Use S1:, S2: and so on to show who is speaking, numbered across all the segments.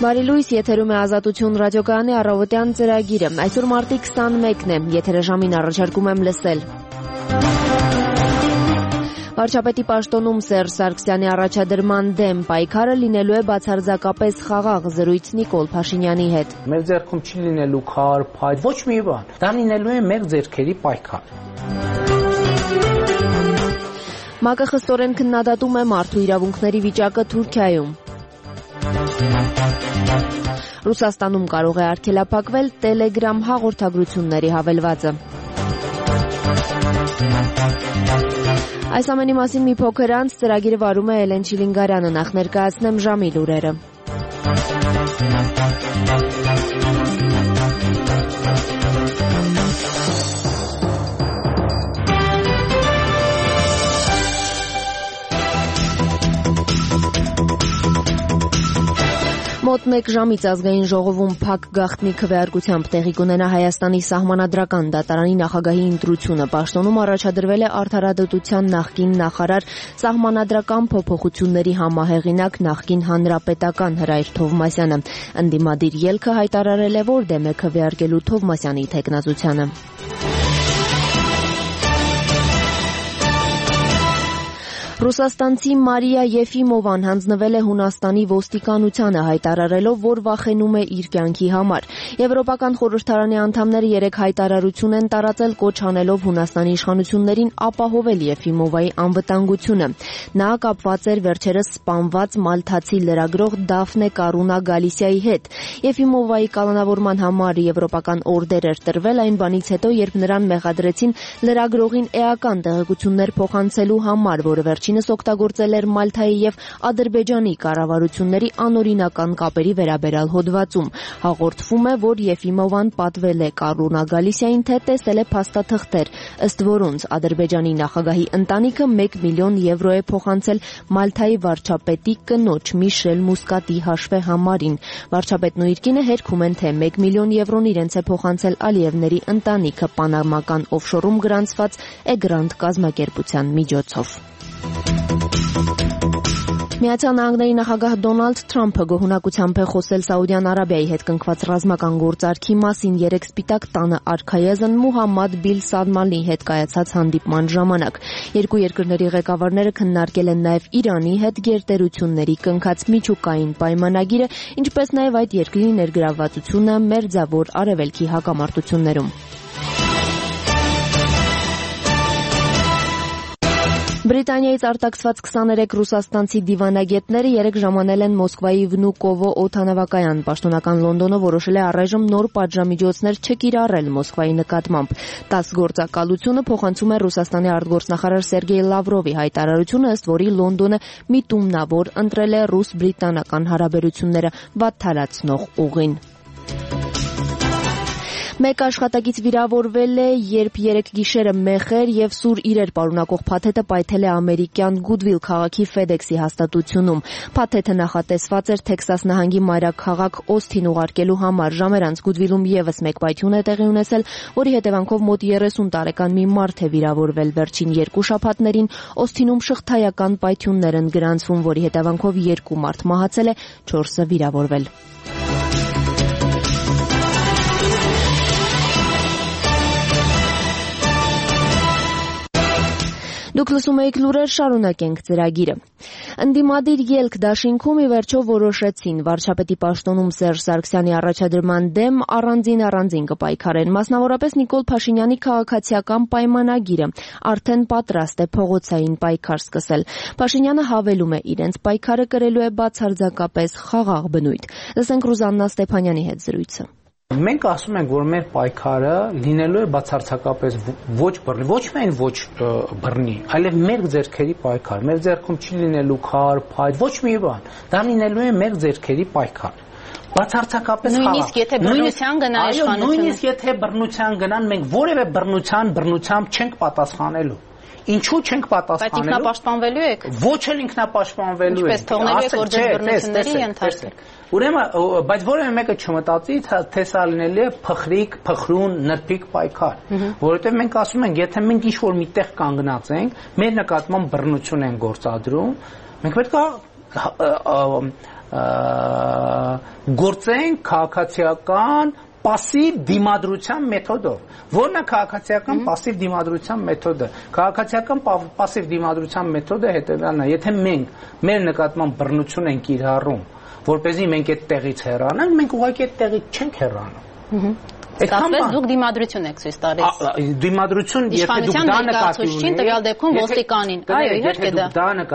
S1: Բարի լույս, եթերում է Ազատություն ռադիոկայանի առավոտյան ծրագիրը։ Այսօր մարտի 21-ն է, եթերաժամին առաջարկում եմ լսել։ Վարչապետի պաշտոնում Սերժ Սարգսյանի առաջադրման դեմ պայքարը լինելու է բացարձակապես խաղաղ, զրույց Նիկոլ Փաշինյանի հետ։
S2: Մեր ձեռքում չի լինելու քար, փայտ, ոչ մի բան։ Դա լինելու է մեր ձեռքերի պայքար։
S1: ՄԱԿ-ը խստորեն քննադատում է մարդու իրավունքների վիճակը Թուրքիայում։ Ռուսաստանում կարող է արգելափակվել Telegram հաղորդագրությունների հավելվածը։ Այս ամենի մասին մի փոքր անց ծրագիրը վարում է Էլեն Չիլինգարյանը, նախ ներկայացնեմ ժամի լուրերը։ Մոտ 1 ժամից ազգային ժողովում փակ գաղտնի քվեարկությամբ տեղի կունենա Հայաստանի սահմանադրական դատարանի նախագահի ընտրությունը։ Պաշտոնում առաջադրվել է Արդարադատության նախկին նախարար, սահմանադրական փոփոխությունների համահեղինակ նախկին հանրապետական Հրայր Թովմասյանը։ Ընդդիմադիր ելքը հայտարարել է, որ դեմ է քվեարկելու Թովմասյանի թեկնածությանը։ Ռուսաստանցի Մարիա Եֆիմովան հանձնվել է Հունաստանի ոստիկանությանը, հայտարարելով, որ վախենում է իր կյանքի համար։ Եվրոպական խորհրդարանի անդամները 3 հայտարարություն են տարածել, կոչ անելով Հունաստանի իշխանություններին ապահովել Եֆիմովայի անվտանգությունը։ Նա կապված էր վերջերս սպանված մալթացի լրագրող Դաֆնե Կարունա Գալիսիայի հետ։ Եֆիմովայի կալանավորման համար եվրոպական օրդեր էր տրվել այն բանից հետո, երբ նրան մեղադրեցին լրագրողին էական տեղեկություններ փոխանցելու համար, որը վերջինս օգտագործել էր Մալթայի եւ Ադրբեջանի կառավարությունների անօրինական կապերի վերաբերյալ հոդվածում։ Հաղորդվում է, որ Եֆիմովան պատվել է Կարունա Գալիսիային, թե տեսել է փաստաթղթեր, ըստ որոնց Ադրբեջանի նախագահի ընտանիքը 1 միլիոն եվրո է փոխանցել Մալթայի վարչապետի կնոջ Միշել Մուսկատի հաշվեհամարին։ Վարչապետն ու իր կինը հերքում են, թե 1 միլիոն եվրոն իրենց է փոխանցել Ալիևների ընտանիքը պանամական օֆշորում գրանցված Էգրանտ կազմակերպության միջոցով։ Միացյալ Նահանգների նախագահ Դոնալդ Թրամփը գոհունակությամբ է խոսել Սաուդյան Արաբիայի հետ կնքված ռազմական գործարքի մասին 3 սպիտակ տանը արքայազն Մուհամմադ Բիլ Սալմանի հետ կայացած հանդիպման ժամանակ։ Երկու երկրների ղեկավարները քննարկել են նաև Իրանի հետ գերտերությունների կնքած միջուկային պայմանագիրը, ինչպես նաև այդ երկրի ներգրավվածությունը Մերձավոր Արևելքի հակամարտություններում։ Բրիտանիայից արտաքսված 23 ռուսաստանցի դիվանագետները 3 ժամանել են Մոսկվայի Վնուկովո օդանավակայան։ Պաշտոնական Լոնդոնը որոշել է առայժմ նոր պատժամիջոցներ չկիրառել Մոսկվայի նկատմամբ։ 10 գործակալությունը փոխանցում է Ռուսաստանի արտգործնախարար Սերգեյ Լավրովի հայտարարությունը, ըստ որի Լոնդոնը միտումնավոր ընտրել է ռուս-բրիտանական հարաբերությունները վատթարացնող ուղին։ Մեկ աշխատակից վիրավորվել է, երբ 3 գիշերը մեխեր եւ սուր իրեր պարունակող փաթեթը պայթել է ամերիկյան Գուդվիլ քաղաքի FedEx-ի հաստատությունում։ Փաթեթը նախատեսված էր Թեքսաս նահանգի մայրաքաղաք Օսթին ուղարկելու համար։ Ժամեր անց Գուդվիլում եւս մեկ պայթյուն է տեղի ունեցել, որի հետևանքով մոտ 30 տարեկան մի մարդ է վիրավորվել։ Վերջին 2 շաբաթներին Օսթինում շղթայական պայթյուններ են գրանցվում, որի հետևանքով 2 մարդ մահացել է, 4-ը վիրավորվել։ Դուք լսում եք լուրեր, շարունակենք ծրագիրը։ Ընդդիմադիր ելք դաշինքում ի վերջո որոշեցին վարչապետի պաշտոնում Սերժ Սարգսյանի առաջադրման դեմ առանձին կպայքարեն։ Մասնավորապես Նիկոլ Փաշինյանի քաղաքացիական պայմանագիրը արդեն պատրաստ է փողոցային պայքար սկսել։ Փաշինյանը հավելում է, իրենց պայքարը կրելու է բացարձակապես խաղաղ բնույթ։ Լսենք Ռուզաննա Ստեփանյանի հետ զրույցը։
S2: Մենք ասում ենք, որ մեր պայքարը լինելու է բացարձակապես ոչ բռնի, ոչ միայն ոչ բռնի, այլև մեր ձեռքերի պայքար։ Մեր ձեռքում չի լինելու քար, փայտ, ոչ մի բան։ Դա լինելու է մեր ձեռքերի պայքար։ Բացարձակապես խաղաղ։
S3: Նույնիսկ եթե բռնության գնա իշխանությունը։
S2: Նույնիսկ եթե բռնության գնան, մենք որևէ բռնությամբ չենք պատասխանելու։ Ինչու չենք պատասխանելու։
S3: Բայց ինքնապաշտպանվելու եք։
S2: Ոչ էլ ինքնապաշտպանվելու
S3: եք։ Ինչպես թողնելու եք, որ ձեր բռնությունների ենթարկվեք։
S2: Ուրեմն, բայց որևէ մեկը չմտածի, թե սա լինելի է փխրիկ, փխրուն, նրբիկ պայքար, որովհետև մենք ասում ենք, եթե մենք ինչ-որ միտեղ կանգնած ենք, մեր նկատմամբ բռնություն են գործադրում, մենք պետք է գործենք քաղաքացիական пассив դիմադրության մեթոդով։ Որն է քաղաքացիական пассив դիմադրության մեթոդը։ Քաղաքացիական пассив դիմադրության մեթոդը հետևյալն է. եթե մենք մեր նկատմամբ բռնություն ենք կիրառում, որպեսզի մենք այդ տեղից հեռանանք, մենք ուղղակի այդ տեղից չենք հեռանում։
S3: Ստացվեց դուք դիմադրություն եք ցույց տալիս։
S2: Դիմադրություն, եթե դուք դա նկատի ունեք,
S3: տվյալ դեպքում ոստիկանին։ Այո, իհարկե դա։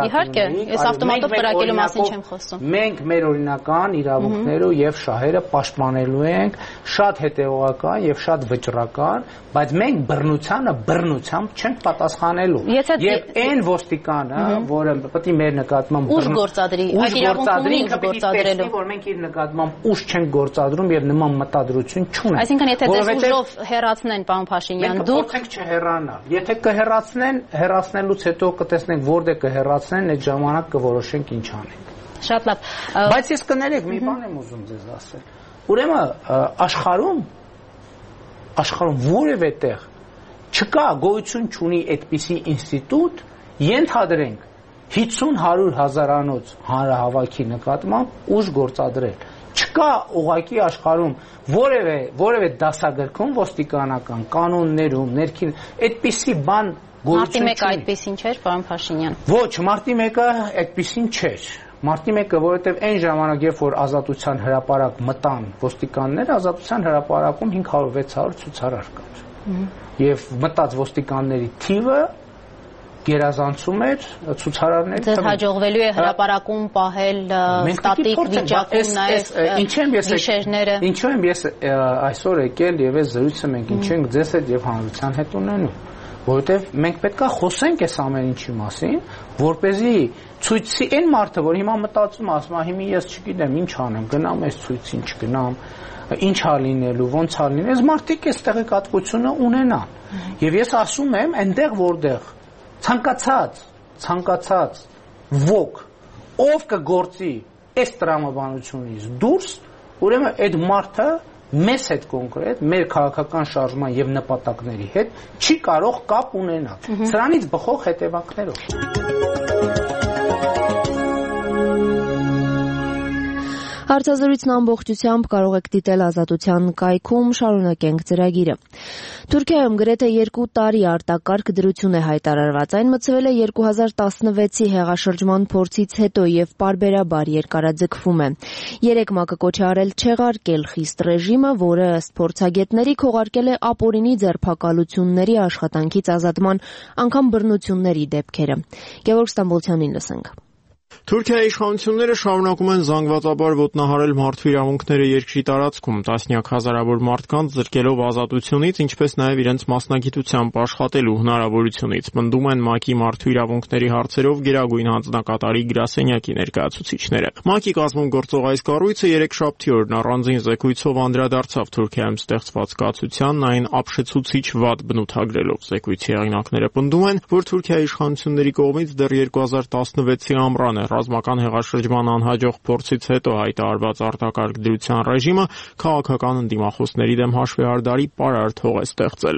S3: Իհարկե, ես ավտոմատով կրակելու մասին չեմ խոսում։
S2: Մենք մեր օրինական իրավունքները եւ շահերը պաշտպանելու ենք, շատ հետեւողական եւ շատ վճռական, բայց մենք բռնությամբ չենք պատասխանելու։ Եվ այն ոստիկանը, որը պետք է մեր նկատմամբ
S3: ուժ գործադրի, այդ իրավունքն ուժ գործադրելու,
S2: որ մենք իր նկատմամբ ուժ չենք գործադրում եւ նման մտադրություն չունենք։
S3: Այսինքն եթե ձեզ ուժով հեռացնեն, պարոն Փաշինյան, դուք
S2: փորձեք չհեռանալ։ Եթե կհեռացնեն, հեռացնելուց հետո կտեսնենք որտեղ կհեռացնեն, այդ ժամանակ կորոշենք ինչ անենք։
S3: Շատ լավ։
S2: Բայց ես կներեք, մի բան եմ ուզում ձեզ ասել։ Ուրեմն աշխարհում որևէ տեղ չկա, գոյություն չունի այդպիսի ինստիտուտ, ենթադրենք 50-100 հազարանոց հանրահավաքի նկատմամբ ուժ գործադրել։ Չկա ուղղակի աշխարհում որևէ դասագրքում ոստիկանական կանոններում ներքին այդպիսի բան
S3: գոյություն չունի։ Մարտի 1-ը այդպեսին չէր, պարոն Փաշինյան։
S2: Ոչ, մարտի 1-ը այդպեսին չէր։ Մարտի 1-ը, որովհետև այն ժամանակ, երբ որ ազատության հրապարակ մտան ոստիկանները, ազատության հրապարակում 500-600 ցուցարար կար։ Եվ մտած ոստիկանների թիվը գերազանցում էր ցուցարարների
S3: թվին։ Ձեզ հաջողվելու է հրապարակում պահել ստատիկ վիճակում նաև գիշերները։
S2: Ինչու եմ ես այսօր եկել եւ այս զրույցը մենք ինչ ենք ձեզ հետ եւ հանրության հետ ունենում, որովհետեւ մենք պետքա խոսենք այս ամեն ինչի մասին, որպեսզի ցույցի այն մարդը, որ հիմա մտածում ասում, հիմա ես չգիտեմ ինչ անեմ, գնամ այս ցույցին չգնամ, ինչ ա լինելու, ոնց ա լինելու, այս մարդիկ այս տեղեկատվությունը ունենան։ Եվ ես ասում եմ, այնտեղ որտեղ ցանկացած ոք ով կգործի այս տրամաբանությունից դուրս, ուրեմն այդ մարդը մեզ հետ կոնկրետ մեր քաղաքական շարժման եւ նպատակների հետ չի կարող կապ ունենալ։ Սրանից բխող հետևանքներով։
S1: Հարցազրույցն ամբողջությամբ կարող եք դիտել Ազատության կայքում, շարունակենք ծրագիրը։ Թուրքիայում գրեթե 2 տարի արտակարգ դրություն է հայտարարված։ Այն մտցվել է 2016-ի հեղաշրջման փորձից հետո եւ պարբերաբար երկարաձգվում է։ 3 ՄԱԿ-ը կոչ է արել չեղարկել խիստ ռեժիմը, որը ըստ փորձագետների քողարկել է ապօրինի ձերբակալությունների, աշխատանքից ազատման, անգամ բռնությունների դեպքերը։ Գևորգ Ստամբոլցյանին լսենք։
S4: Թուրքիայի իշխանությունները շարունակում են զանգվածաբար ոտնահարել մարդու իրավունքները երկրի տարածքում, տասնյակ հազարավոր մարդկանց զրկելով ազատությունից, ինչպես նաև իրենց մասնագիտությամբ աշխատելու հնարավորությունից, պնդում են ՄԱԿ-ի մարդու իրավունքների հարցերով գերագույն հանձնակատարի գրասենյակի ներկայացուցիչները։ ՄԱԿ-ի կազմում գործող այս կառույցը երեքշաբթի օրն առանձին զեկույցով անդրադարձավ Թուրքիայում ստեղծված կացությանն, այն ապշեցուցիչ վատ բնութագրելով։ Զեկույցի հեղինակները պնդում են, որ Թուրքիայի իշխանությունների կողմից դեռ 2016-ի ամռանը ռազմական հեղաշրջման անհաջող փորձից հետո հայտարարված արտակարգ դրության ռեժիմը քաղաքական ընդդիմախոսների դեմ հաշվեհարդարի պարարտ հող է ստեղծել։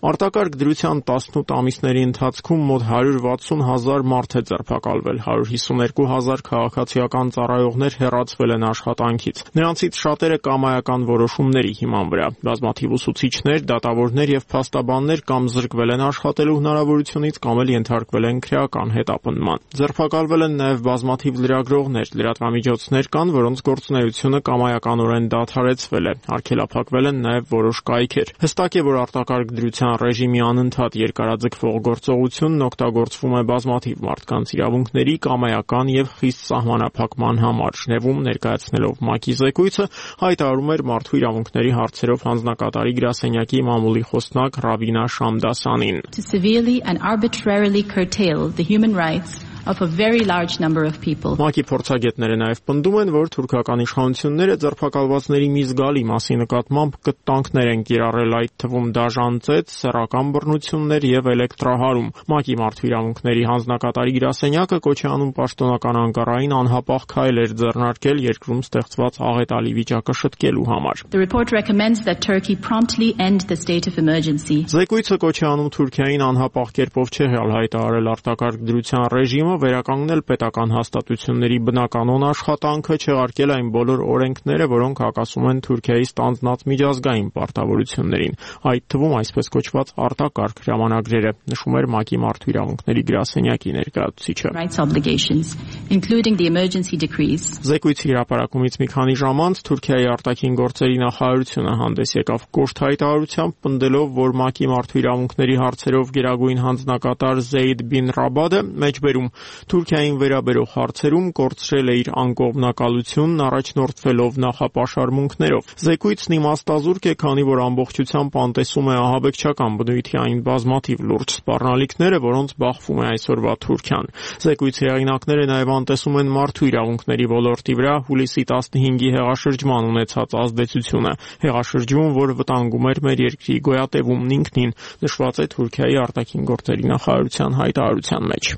S4: Արտակարգ դրության 18 ամիսների ընթացքում մոտ 160,000 մարդ է ձերբակալվել, 152,000 քաղաքացիական ծառայողներ հեռացվել են աշխատանքից։ Նրանցից շատերը կամայական որոշումների հիման վրա։ Բազմաթիվ ուսուցիչներ, դատավորներ եւ փաստաբաններ կամ զրկվել են աշխատելու հնարավորությունից կամ էլ ենթարկվել են քրեական հետապնդման։ Ձերբակալվել են նաև բազմաթիվ լրագրողներ, լրատվամիջոցներ կան, որոնց գործունեությունը կամայականորեն դադարեցվել է։ Արգելափակվել են նաև որոշ կայքեր։ Հստակ է, որ արտակարգ դրության ռեժիմի անընդհատ երկարաձգվող գործողությունն օգտագործվում է բազմաթիվ մարդկանց իրավունքների կամայական եւ խիստ սահմանափակման համար։ Ժնևում ներկայացնելով ՄԱԿ-ի զեկույցը հայտարարում էր մարդու իրավունքների հարցերով հանձնակատարի գրասենյակի մամուլի խոսնակ Ռավինա Շամդասանին.
S5: To severely and arbitrarily curtail the human rights of a very large number of people.
S4: ՄԱԿ-ի փորձագետները նաև պնդում են, որ թուրքական իշխանությունները ձերբակալվածների մի զգալի մասի նկատմամբ կտանքներ են կիրառել, այդ թվում դաժան ծեծ, սեռական բռնություններ եւ էլեկտրահարում։ ՄԱԿ-ի մարդու իրավունքների հանձնակատարի գրասենյակը կոչ է անում պաշտոնական Անկարային անհապաղ քայլեր ձեռնարկել երկրում ստեղծված աղետալի վիճակը շտկելու համար։
S5: The report recommends that Turkey promptly end the state of emergency.
S4: Զեկույցը կոչ է անում Թուրքիային անհապաղ կերպով չեղյալ հայտարարել արտակարգ դրության ռեժիմը, վերականգնել պետական հաստատությունների բնականոն աշխատանքը, չեղարկել այն բոլոր օրենքները, որոնք հակասում են Թուրքիայի ստանձնած միջազգային պարտավորություններին, այդ թվում այսպես կոչված արտակարգ հրամանագրերը, նշում էր ՄԱԿ-ի մարդու իրավունքների գրասենյակի ներկայացուցիչը։
S5: Rights obligations, including the emergency decrees.
S4: Զեկույցի հրապարակումից մի քանի ժամ անց Թուրքիայի արտաքին գործերի նախարարությունը հանդես եկավ կոշտ հայտարարությամբ, պնդելով, որ ՄԱԿ-ի մարդու իրավունքների հարցերով գերագույն հանձնակատար Զեյդ Բին Ռաբադը մեջբերում Թուրքիային վերաբերող հարցերում կորցրել է իր անկողմնակալությունն առաջնորդվելով նախապաշարմունքներով։ Զեկույցն իմաստազուրկ է, քանի որ ամբողջությամբ անտեսում է ահաբեկչական բնույթի այն բազմաթիվ լուրջ սպառնալիքները, որոնց բախվում է այսօրվա Թուրքիան։ Զեկույցի հեղինակները նաև անտեսում են մարդու իրավունքների ոլորտի վրա հուլիսի 15-ի հեղաշրջման ունեցած ազդեցությունը, հեղաշրջում, որ վտանգում էր մեր երկրի գոյատևումն ինքնին, նշված է Թուրքիայի արտաքին գործերի նախարարության հայտարարության մեջ։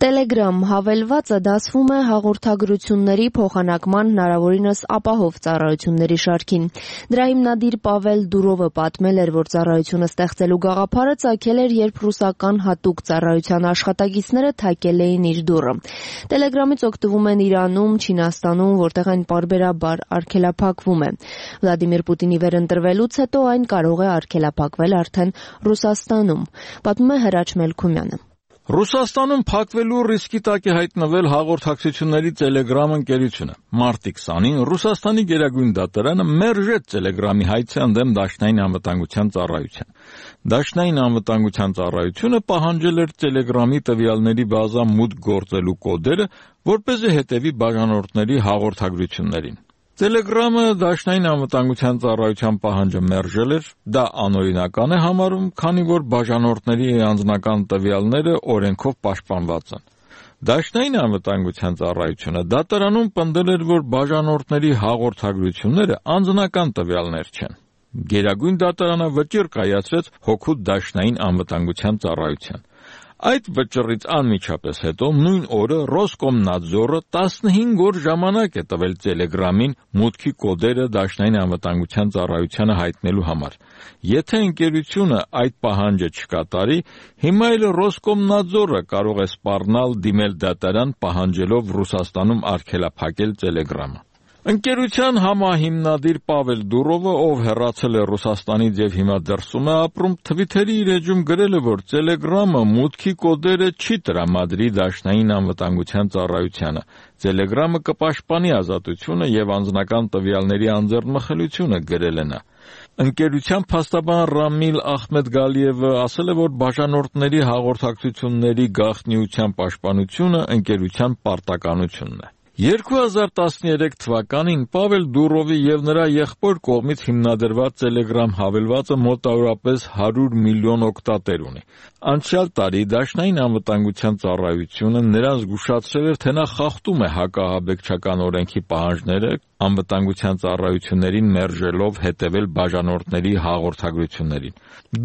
S1: Telegram հավելվածը դասվում է հաղորդագրությունների փոխանակման հնարավորինս ապահով ծառայությունների շարքին։ Դրա հիմնադիր Պավել Դուրովը պատմել էր, որ ծառայությունը ստեղծելու գաղափարը ծագել էր, երբ ռուսական հատուկ ծառայության աշխատակիցները թակել էին իր դուռը։ Telegram-ից օգտվում են Իրանում, Չինաստանում, որտեղ այն պարբերաբար արգելափակվում է։ Վլադիմիր Պուտինի վերընտրվելուց հետո այն կարող է արգելափակվել արդեն Ռուսաստանում, պատմում է Հրաչ Մելքումյանը։
S6: Ռուսաստանում փակվելու ռիսկի տակ է հայտնվել հաղորդակցությունների Telegram ընկերությունը։ Մարտի 20-ին Ռուսաստանի գերագույն դատարանը մերժեց Telegram-ի հայցի ընդդեմ Դաշնային անվտանգության ծառայության։ Դաշնային անվտանգության ծառայությունը պահանջել էր Telegram-ի տվյալների բազա մուտք գործելու կոդերը, որպեսզի հետևի բաժանորդների հաղորդագրություններին։ Telegram-ը Դաշնային անվտանգության ծառայության պահանջը մերժել էր, դա անօրինական է համարում, քանի որ բաժանորդների անձնական տվյալները օրենքով պաշտպանված են։ Դաշնային անվտանգության ծառայությունը դատարանում պնդել էր, որ բաժանորդների հաղորդագրությունները անձնական տվյալներ չեն։ Գերագույն դատարանը վճիռ կայացրեց հօգուտ Դաշնային անվտանգության ծառայության։ Այդ վճռից անմիջապես հետո նույն օրը Ռոսկոմնadzorը 15 օր ժամանակ է տվել Telegram-ին մուտքի կոդերը Դաշնային անվտանգության ծառայությանը հայտնելու համար։ Եթե ընկերությունը այդ պահանջը չկատարի, հիմա էլ Ռոսկոմնadzorը կարող է սպառնալ դիմել դատարան պահանջելով Ռուսաստանում արգելափակել Telegram-ը։ Ընկերության համահիմնադիր Պավել Դուրովը, ով հեռացել է Ռուսաստանից եւ հիմա դրսում է ապրում, Twitter-ի իր էջում գրել է, որ Telegram-ը մուտքի կոդերը չի տրամադրի Դաշնային անվտանգության ծառայությանը։ Telegram-ը կպաշտպանի ազատությունը եւ անձնական տվյալների անձեռնմխելիությունը, գրել է նա։ Ընկերության փաստաբան Ռամիլ Ախմեդգալիևը ասել է, որ բաժանորդների հաղորդակցությունների գաղտնիության պաշտպանությունը ընկերության պարտականությունն է։ 2013 թվականին Պավել Դուրովի եւ նրա եղբոր կողմից հիմնադրված Telegram հավելվածը մոտավորապես 100 միլիոն օգտատեր ունի։ Անցյալ տարի Դաշնային անվտանգության ծառայությունը նրան զգուշացրել էր, թե նա խախտում է հակահաբեկչական օրենքի պահանջները, անվտանգության ծառայություններին մերժելով հետևել բաժանորդների հաղորդագրություններին։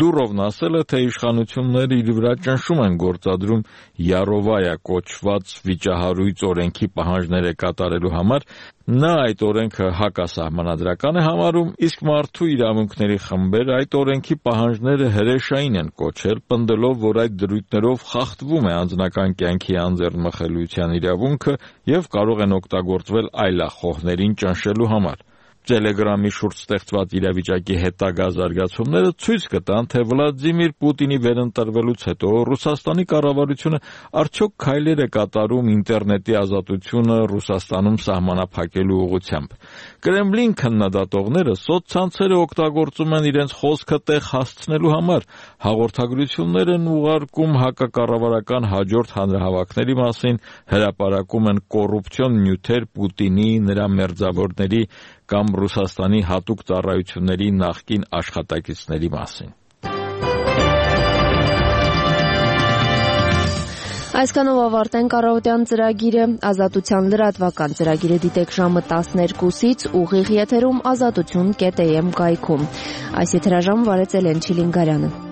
S6: Դուրովն ասել է, թե իշխանությունները իր վրա ճնշում են գործադրում Յարովայա կոչված վիճահարույց օրենքի պահանջները կատարելու համար։ Նա այդ օրենքը հակասահմանադրական է համարում, իսկ մարդու իրավունքների խմբերը այդ օրենքի պահանջները հրեշային են կոչել, պնդելով, որ այդ դրույթներով խախտվում է անձնական կյանքի անձեռնմխելիության իրավունքը եւ կարող են օգտագործվել այլախոհներին ճնշելու համար։ Telegram-ի շուրջ ստեղծված իրավիճակի հետագա զարգացումները ցույց կտան, թե Վլադիմիր Պուտինի վերընտրվելուց հետո Ռուսաստանի կառավարությունը արդյոք քայլեր է կատարում ինտերնետի ազատությունը Ռուսաստանում սահմանափակելու ուղղությամբ։ Կրեմլին քննադատողները սոցցանցերը օգտագործում են իրենց խոսքը տեղ հասցնելու համար, հաղորդագրություններ են ուղարկում հակակառավարական հաջորդ հանրահավաքների մասին, հրապարակում են կոռուպցիոն նյութեր Պուտինի, նրա մերձավորների կամ Ռուսաստանի հատուկ ծառայությունների նախկին աշխատակիցների մասին։
S1: Այսքանով ավարտենք առավոտյան ծրագիրը, ազատության լրատվական ծրագիրը դիտեք ժամը 12-ից ուղիղ եթերում ազատություն.am կայքում։ Այս եթերաժամը վարեց Էլեն Չիլինգարյանը։